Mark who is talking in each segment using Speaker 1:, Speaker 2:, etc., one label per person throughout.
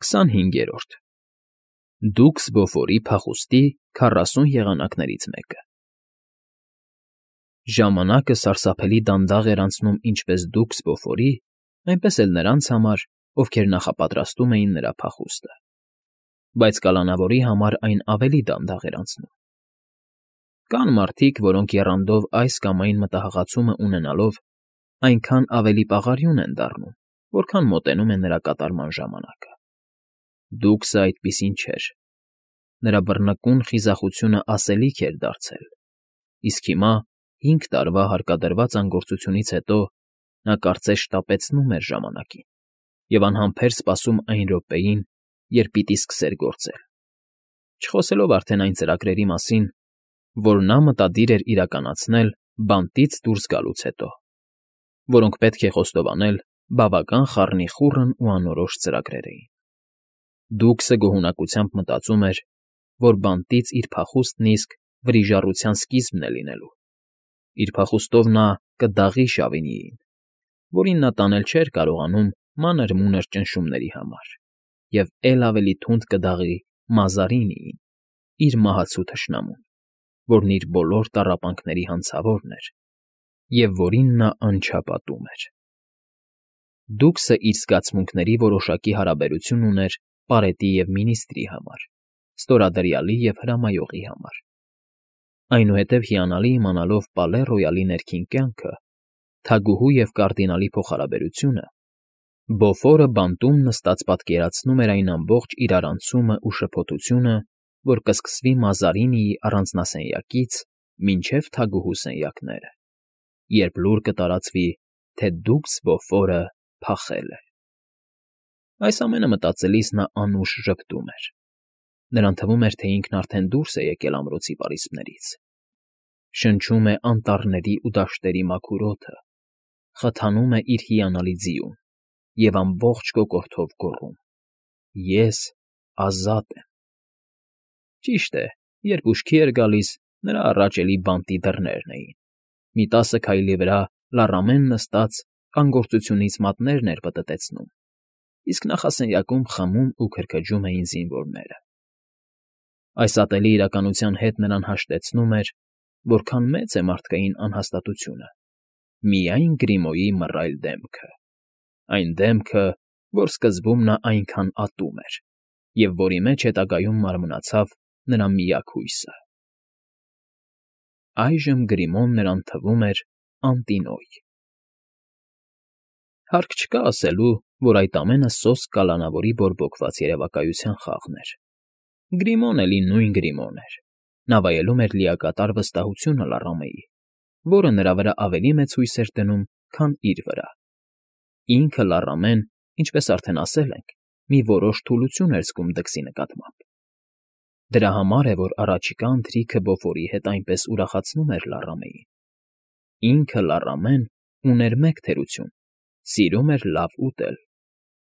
Speaker 1: 25-րդ Դուքս Բոֆորի փախուստի 40 եղանակներից մեկը Ժամանակը սարսափելի դանդաղ էր անցնում ինչպես Դուքս Բոֆորի, այնպես էլ նրանց համար, ովքեր նախապատրաստում էին նրա փախուստը, բայց կալանավորի համար այն ավելի դանդաղ էր անցնում։ Կան մարդիկ, որոնք եռանդով այս կամ այն մտահղացումը ունենալով այնքան ավելի պաղարյուն են դառնում, որքան մոտենում է նրա կատարման ժամանակը։ Դուքսը այդպիսին չէր։ Նրա բռնկուն խիզախությունը ասելիք էր դարձել, իսկ հիմա, 5 տարվա հարկադրված անգործությունից հետո, նա կարծես շտապեցնում էր ժամանակին և անհամբեր սպասում այն րոպեին, երբ պիտի սկսեր գործել, չխոսելով արդեն այն ծրագրերի մասին, որ նա մտադիր էր իրականացնել բանտից դուրս գալուց հետո, որոնք պետք է խոստովանել բավական խառնիխուռն ու անորոշ ծրագրեր էին։ Դուքսը գոհունակությամբ մտածում էր, որ բանտից իր փախուստն իսկ վրիժառության սկիզբն է լինելու։ Իր փախուստով նա կդաղի Շավինիին, որին նա տանել չէր կարողանում մանր֊մունր ճնշումների համար, և էլ ավելի թունդ կդաղի Մազարինիին, իր մահացու թշնամուն, որն իր բոլոր տառապանքների հանցավորն էր և որին նա անչափ ատում էր։ Դուքսը իր զգացմունքների որոշակի հարաբերություն ուներ պարետի և մինիստրի համար, ստորադրյալի և հրամայողի համար։ Այնուհետև հիանալի իմանալով Պալե Ռոյալի ներքին կյանքը, թագուհու և կարդինալի փոխհարաբերությունը, Բոֆորը բանտում նստած պատկերացնում էր այն ամբողջ իրարանցումն ու շփոթությունը, որ կսկսվի Մազարինիի առանձնասենյակից մինչև թագուհու սենյակները, երբ լուր կտարածվի, թե Դուքս Բոֆորը փախել է։ Այս ամենը մտածելիս նա անուշ ժպտում էր։ Նրան թվում էր, թե ինքն արդեն դուրս է եկել ամրոցի պարիսպներից, շնչում է անտառների ու դաշտերի մաքուր օդը, խթանում է իր հիանալի ձիուն և ամբողջ կոկորդով գոռում. «Ես ազատ եմ»։ Ճիշտ է, երբ ուշքի էր գալիս, նրա առաջ էլի բանտի դռներն էին։ Մի 10 քայլի վրա լառամեն նստած անգործությունից մատներն էր պտտեցնում, իսկ նախասենյակում խմում ու քրքջում էին զինվորները։ Այս ատելի իրականության հետ նրան հաշտեցնում էր, որքան մեծ է մարդկային անհաստատությունը, միայն Գրիմոյի մռայլ դեմքը, այն դեմքը, որ սկզբում նա այնքան ատում էր և որի մեջ հետագայում մարմնացավ նրա միակ հույսը։ Այժմ Գրիմոն նրան թվում էր անտինոյ։ Հարկ չկա ասելու, որ այդ ամենը սոսկ կալանավորի բորբոքված երևակայության խաղն էր։ Գրիմոն էլի նույն Գրիմոն էր։ Նա վայելում էր լիակատար վստահությունը Լառամեի, որը նրա վրա ավելի մեծ հույս էր դնում, քան իր վրա։ Ինքը Լառամեն, ինչպես արդեն ասել ենք, մի որոշ թուլություն էր զգում դքսի նկատմամբ։ Դրա համար է, որ առաջիկա ընթրիքը Բոֆորի հետ այնպես ուրախացնում էր Լառամեին։ Ինքը Լառամեն ուներ մեկ թերություն. սիրում էր լավ ուտել։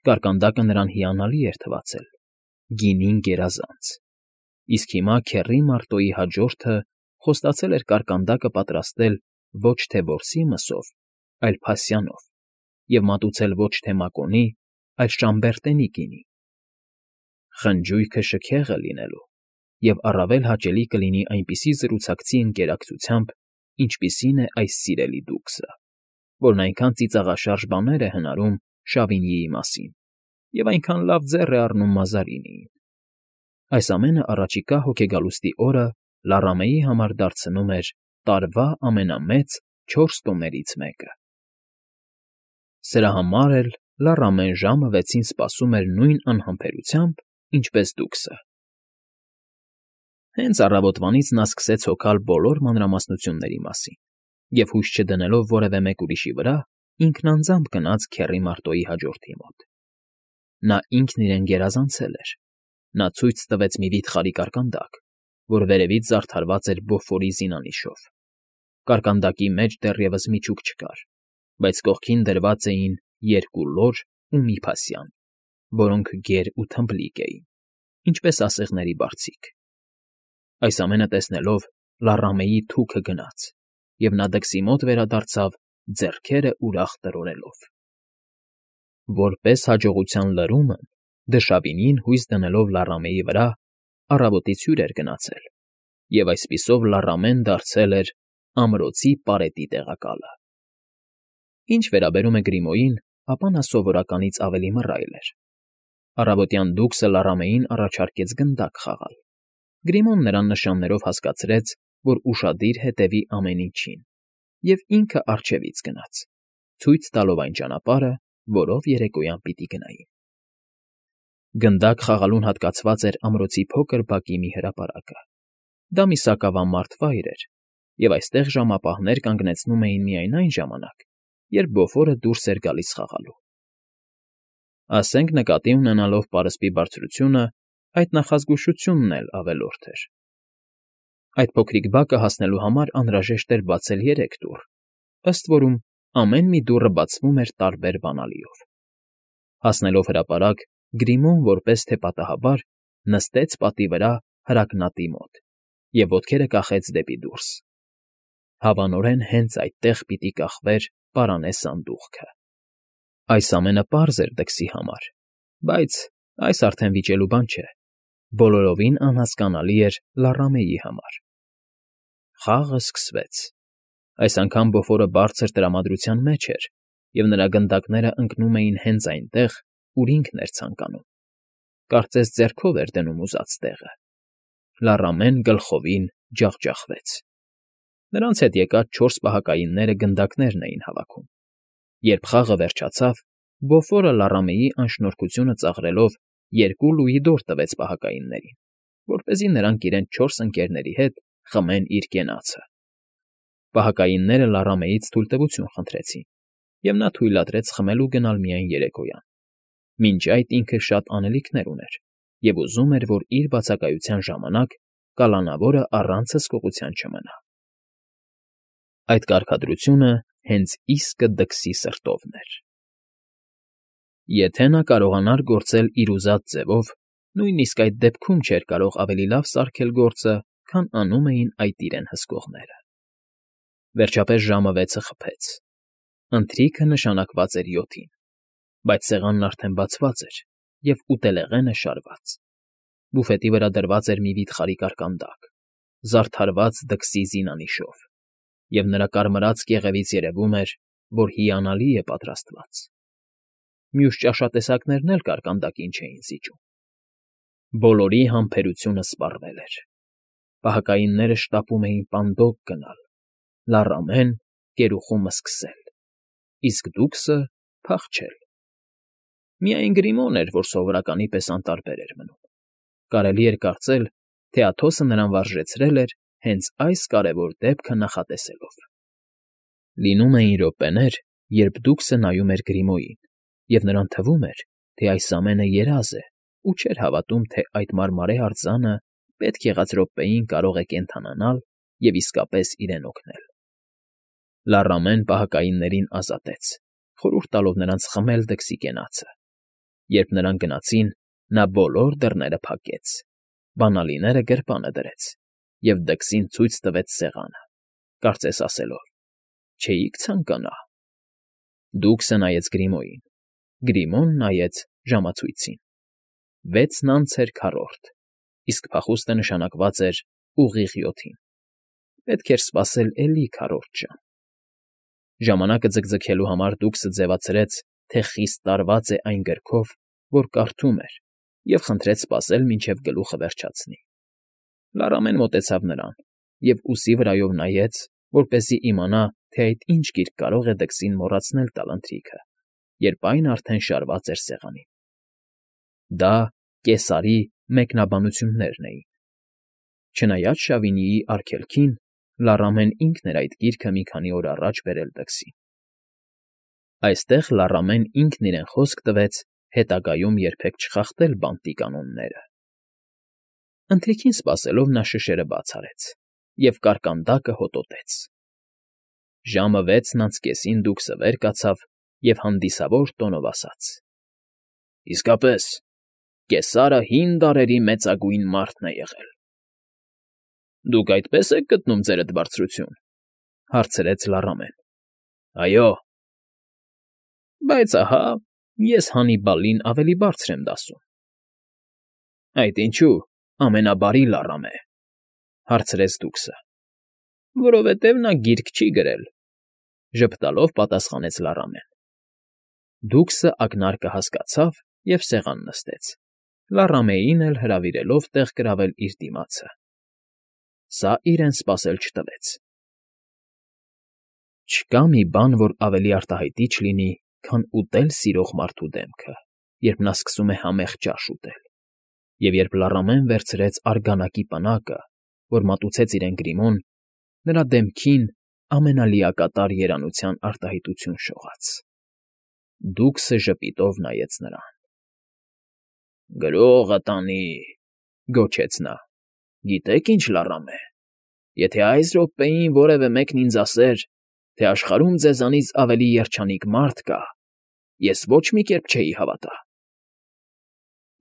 Speaker 1: Կարկանդակը նրան հիանալի էր թվացել, գինին գերազանց։ Իսկ հիմա քեռի Մարտոյի հաջորդը խոստացել էր կարկանդակը պատրաստել ոչ թե որսի մսով, այլ փասյանով, և մատուցել ոչ թե մակոնի, այլ շամբերտենի գինի։ Խնջույքը շքեղ է լինելու, և առավել հաճելի կլինի այնպիսի զրուցակցի ընկերակցությամբ, ինչպիսին է այս սիրելի Դուքսը, որն այնքան ծիծաղաշարժ բաներ է հնարում Շավինիի մասին և այնքան լավ ձեռ է առնում Մազարինիին։ Այս ամենը առաջիկա հոգեգալուստի օրը Լառամեի համար դարձնում էր տարվա ամենամեծ 4 տոներից մեկը։ Սրա համար էլ Լառամեն ժամը 6-ին սպասում էր նույն անհամբերությամբ, ինչպես Դուքսը։ Հենց առավոտվանից նա սկսեց հոգալ բոլոր մանրամասնությունների մասին և հույս չդնելով որևէ մեկ ուրիշի վրա, ինքն անձամբ գնաց քեռի Մարտոյի հաջորդի մոտ։ Նա ինքն իրեն գերազանցել էր։ Նա ցույց տվեց մի վիթխարի կարկանդակ, որ վերևից զարդարված էր Բոֆորի զինանիշով։ Կարկանդակի մեջ դեռևս միջուկ չկար, բայց կողքին դրված էին 2 լոր ու մի փասյան, որոնք գեր ու թմբլիկ էին, ինչպես ասեղների բարձիկ։ Այս ամենը տեսնելով Լառամեի թուքը գնաց, և նա դքսի մոտ վերադարձավ ձեռքերը ուրախ տրորելով։ Որպես հաջողության լրումն դշավինին հույս դնելով Լառամեի վրա, առավոտից հյուր էր գնացել, և այսպիսով Լառամեն դարձել էր ամրոցի պարետի տեղակալը։ Ինչ վերաբերում է Գրիմոյին, ապա նա սովորականից ավելի մռայլ էր։ Առավոտյան դուքսը Լառամեին առաջարկեց գնդակ խաղալ։ Գրիմոն նրան նշաններով հասկացրեց, որ ուշադիր հետևի ամեն ինչին, և ինքը առջևից գնաց, ցույց տալով այն ճանապարհը, որով երեկոյան պիտի գնային։ Գնդակ խաղալուն հատկացված էր ամրոցի փոքր բակի մի հրապարակը։ Դա մի սակավամարդ վայր էր, և այստեղ ժամապահներ կանգնեցնում էին միայն այն ժամանակ, երբ բոֆորը դուրս էր գալիս խաղալու։ Ասենք նկատի ունենալով պարսպի բարձրությունը, այդ նախազգուշությունն էլ ավելորդ էր։ Այդ փոքրիկ բակը հասնելու համար անհրաժեշտ էր բացել 3 դուռ, ըստ որում ամեն մի դուռը բացվում էր տարբեր բանալիով։ Հասնելով հրապարակ, Գրիմոն, որպես թե պատահաբար, նստեց պատի վրա հրակնատի մոտ և ոտքերը կախեց դեպի դուրս։ Հավանորեն հենց այդտեղ պիտի կախվեր պարանե սանդուղքը։ Այս ամենը պարզ էր դքսի համար, բայց այս արդեն վիճելու բան չէ, բոլորովին անհասկանալի էր Լառամեի համար։ Խաղը սկսվեց։ Այս անգամ բոֆորը բարձր տրամադրության մեջ էր, և նրա գնդակները ընկնում էին հենց այնտեղ, ուր ինքն էր ցանկանում։ Կարծես ձեռքով էր դնում ուզած տեղը։ Լառամեն գլխովին ջախջախվեց։ Նրանց հետ եկած 4 պահակայինները գնդակներն էին հավաքում։ Երբ խաղը վերջացավ, բոֆորը Լառամեի անշնորհքությունը ծաղրելով 2 լուիդոր տվեց պահակայիններին, որպեսզի նրանք իրենց 4 ընկերների հետ խմեն իր կենացը։ Պահակայինները Լառամեից թույլտվություն խնդրեցին, և նա թույլատրեց խմելու գնալ միայն երեկոյան։ Մինչ այդ ինքը շատ անելիքներ ուներ և ուզում էր, որ իր բացակայության ժամանակ կալանավորը առանց հսկողության չմնա։ Այդ կարգադրությունը հենց իսկը դքսի սրտովն էր։ Եթե նա կարողանար գործել իր ուզած ձևով, նույնիսկ այդ դեպքում չէր կարող ավելի լավ սարքել գործը, քան անում էին այդ իրեն հսկողները։ Վերջապես ժամը 6-ը խփեց։ Ընթրիքը նշանակված էր 7-ին, բայց սեղանն արդեն բացված էր և ուտելեղենը շարված։ Բուֆետի վրա դրված էր մի վիթխարի կարկանդակ, զարդարված դքսի զինանիշով, և նրա կարմրած կեղևից երևում էր, որ հիանալի է պատրաստված։ Մյուս ճաշատեսակներն էլ կարկանդակին չէին զիջում։ Բոլորի համբերությունը սպառվել էր։ Պահակայինները շտապում էին պանդոկ գնալ, Լառամեն կերուխումը սկսել, իսկ դուքսը փախչել։ Միայն Գրիմոն էր, որ սովորականի պես անտարբեր էր մնում։ Կարելի էր կարծել, թե Աթոսը նրան վարժեցրել էր հենց այս կարևոր դեպքը նախատեսելով։ Լինում էին րոպեներ, երբ դուքսը նայում էր Գրիմոյին, և նրան թվում էր, թե այս ամենը երազ է ու չէր հավատում, թե այդ մարմարե արձանը պետք եղած րոպեին կարող է կենդանանալ և իսկապես իրեն օգնել։ Լառամեն պահակայիններին ազատեց, խորհուրդ տալով նրանց խմել դքսի կենացը։ Երբ նրանք գնացին, նա բոլոր դռները փակեց, բանալիները գրպանը դրեց և դքսին ցույց տվեց սեղանը, կարծես ասելով. «Չէիք ցանկանա»։ Դուքսը նայեց Գրիմոյին, Գրիմոն նայեց ժամացույցին։ 6-ն անց էր 4-րդ, իսկ փախուստը նշանակված էր ուղիղ 7-ին։ Պետք էր սպասել էլի 4 ժամ։ Ժամանակը ձգձգելու համար դուքսը ձևացրեց, թե խիստ տարված է այն գրքով, որ կարդում էր, և խնդրեց սպասել, մինչև գլուխը վերջացնի։ Լառամեն մոտեցավ նրան և ուսի վրայով նայեց, որպեսզի իմանա, թե այդ ինչ գիրք կարող է դքսին մոռացնել տալ ընթրիքը, երբ այն արդեն շարված էր սեղանին։ Դա Կեսարի մեկնաբանություններն էին։ Չնայած Շավինիի արգելքին, Լառամեն ինքն էր այդ գիրքը մի քանի օր առաջ բերել դքսին։ Այստեղ Լառամեն ինքն իրեն խոսք տվեց հետագայում երբեք չխախտել բանտի կանոնները։ Ընթրիքին սպասելով նա շշերը բաց արեց և կարկանդակը հոտոտեց։ Ժամը 6:30 դուքսը վեր կացավ և հանդիսավոր տոնով ասաց. «Իսկապես, Կեսարը հին դարերի մեծագույն մարդն է եղել»։ «Դուք այդպես եք գտնում ձերդ բարձրություն», հարցրեց Լառամեն։ «Այո»։ «Բայց ահա, ես Հանիբալին ավելի բարձր եմ դասում»։ Այդ ինչու ամենաբարի լառամ է,֊ հարցրեց դուքսը։ Որովհետև նա գիրք չի գրել,֊ ժպտալով պատասխանեց լառամեն։ Դուքսը ակնարկը հասկացավ և սեղան նստեց, լառամեին էլ հրավիրելով տեղ գրավել իր դիմացը։ Սա իրեն սպասել չտվեց։ Չկա մի բան, որ ավելի արտահայտիչ լինի, քան ուտել սիրող մարդու դեմքը, երբ նա սկսում է համեղ ճաշ ուտել, և երբ լառամեն վերցրեց արգանակի պնակը, որ մատուցեց իրեն Գրիմոն, նրա դեմքին ամենալիակատար երանության արտահայտություն շողաց։ Դուքսը ժպիտով նայեց նրան։ «Գրողը տանի,֊ գոչեց նա,֊ գիտեք ինչ, լառամե, եթե այս րոպեին որևէ մեկն ինձ ասեր, թե աշխարհում ձեզանից ավելի երջանիկ մարդ կա, ես ոչ մի կերպ չէի հավատա»։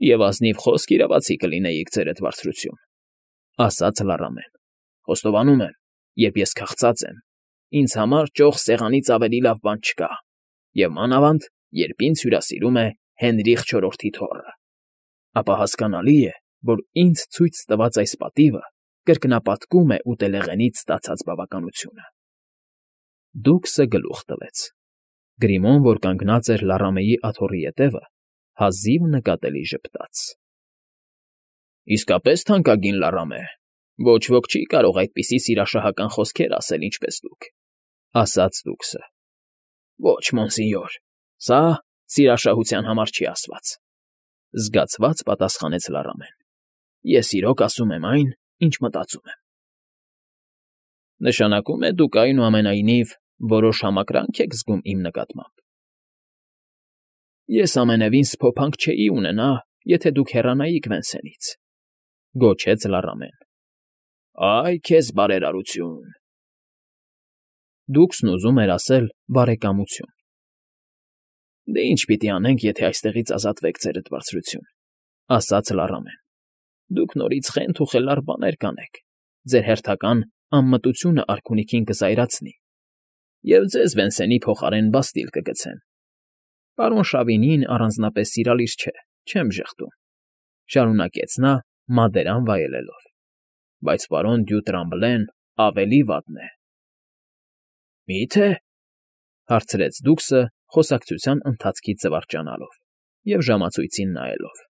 Speaker 1: «Եվ ազնիվ խոսք իրավացի կլինեիք, ձերդ բարձրություն,֊ ասաց լառամեն։ «Խոստովանում եմ, երբ ես քաղցած եմ, ինձ համար ճոխ սեղանից ավելի լավ բան չկա, և մանավանդ, երբ ինձ հյուրասիրում է Հենրիխ IV թոռը, ապա հասկանալի է, որ ինձ ցույց տված այս պատիվը կրկնապատկում է ուտելեղենից ստացած բավականությունը»։ Դուքսը գլուխ տվեց։ Գրիմոն, որ կանգնած էր լառամեի աթոռի ետևը, հազիվ նկատելի ժպտաց։ «Իսկապես թանկագին լառամե, ոչ ոք չի կարող այդպիսի սիրաշահական խոսքեր ասել, ինչպես դուք,֊ ասաց դուքսը։ «Ոչ, մոնսինյոր, սա սիրաշահության համար չի ասված,֊ զգացված պատասխանեց լառամեն։ «Ես իրոք ասում եմ այն, ինչ մտածում եմ»։ «Նշանակում է դուք, այնուամենայնիվ, որոշ համակրանք եք զգում իմ նկատմամբ»։ «Ես ամենևին սփոփանք չէի ունենա, եթե դուք հեռանայիք Վենսենից,֊ գոչեց լառամեն։ «Այ քեզ բարերարություն…» Դուքսն ուզում էր ասել բարեկամություն։ «Դե ինչ պիտի անենք, եթե այստեղից ազատվեք, ձերդ բարձրություն,֊ ասաց լառամեն։ «Դուք նորից խենթ ու խելառ բաներ կանեք, ձեր հերթական անմտությունը արքունիքին կզայրացնի, և ձեզ Վենսենի փոխարեն բաստիլ կգցեն։ Պարոն Շավինին առանձնապես սիրալիր չէ, չեմ ժխտում,֊ շարունակեց նա մադերան վայելելով,֊ բայց պարոն Դյու Տրամբլեն ավելի վատն է»։ «Մի՞թե,֊ հարցրեց դուքսը խոսակցության ընթացքից զվարճանալով և ժամացույցին նայելով։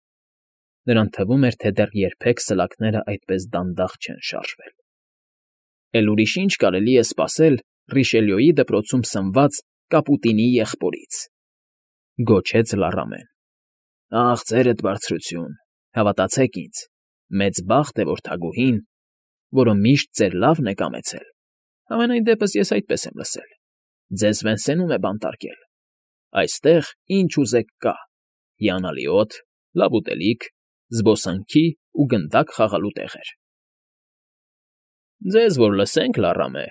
Speaker 1: Նրան թվում էր, թե դեռ երբեք սլաքները այդպես դանդաղ չեն շարժվել։ «Էլ ուրիշ ինչ կարելի է սպասել Ռիշելյոյի դպրոցում սնված կապուտինի եղբորից,֊ գոչեց լառամեն։ Ախ, ձերդ բարձրություն, հավատացեք ինձ, մեծ բախտ է, որ թագուհին, որը միշտ ձեր լավն է կամեցել, համենայն դեպս ես այդպես եմ լսել, ձեզ Վենսենում է բանտարկել։ Այստեղ ինչ ուզեք կա՝ հիանալի օդ, լավ ուտելիք, զբոսանքի ու գնդակ խաղալու տեղեր։ Ձեզ որ լսենք, լառամե,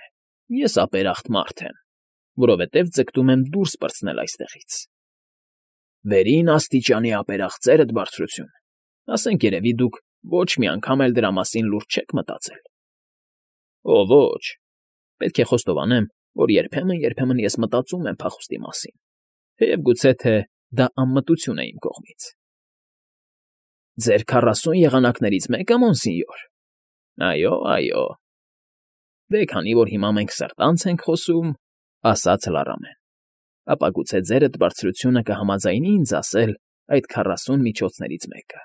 Speaker 1: ես ապերախտ մարդ եմ, որովհետև ձգտում եմ դուրս պրծնել այստեղից։ Վերին աստիճանի ապերախտ, ձերդ բարձրություն, ասենք երևի դուք ոչ մի անգամ էլ դրա մասին լուրջ չեք մտածել։ Օ, ոչ, պետք է խոստովանեմ, որ երբեմն ես մտածում եմ փախուստի մասին, թեև գուցե թե դա անմտություն է իմ կողմից։ Ձեր 40 եղանակներից մեկը, մոնսինյոր։ Այո։ Դե քանի որ հիմա մենք սրտանց ենք խոսում, ասաց լառամեն, ապա գուցե ձերդ բարձրությունը կհամաձայնի ինձ ասել այդ 40 միջոցներից մեկը։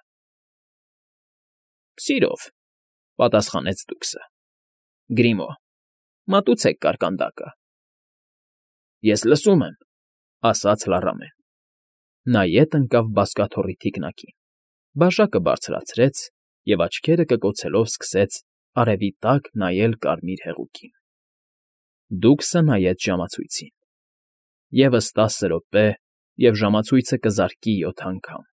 Speaker 1: Սիրով, պատասխանեց դուքսը։ Գրիմո, մատուցեք կարկանդակը։ Ես լսում եմ, ասաց լառամեն։ Նա ետ ընկավ բազկաթոռի թիկնակին, բաժակը բարձրացրեց և աչքերը կկոցելով սկսեց արևի տակ նայել կարմիր հեղուկին։ Դուքսը նայեց ժամացույցին։ Եվս 10 րոպե, և ժամացույցը կզարկի 7 անգամ։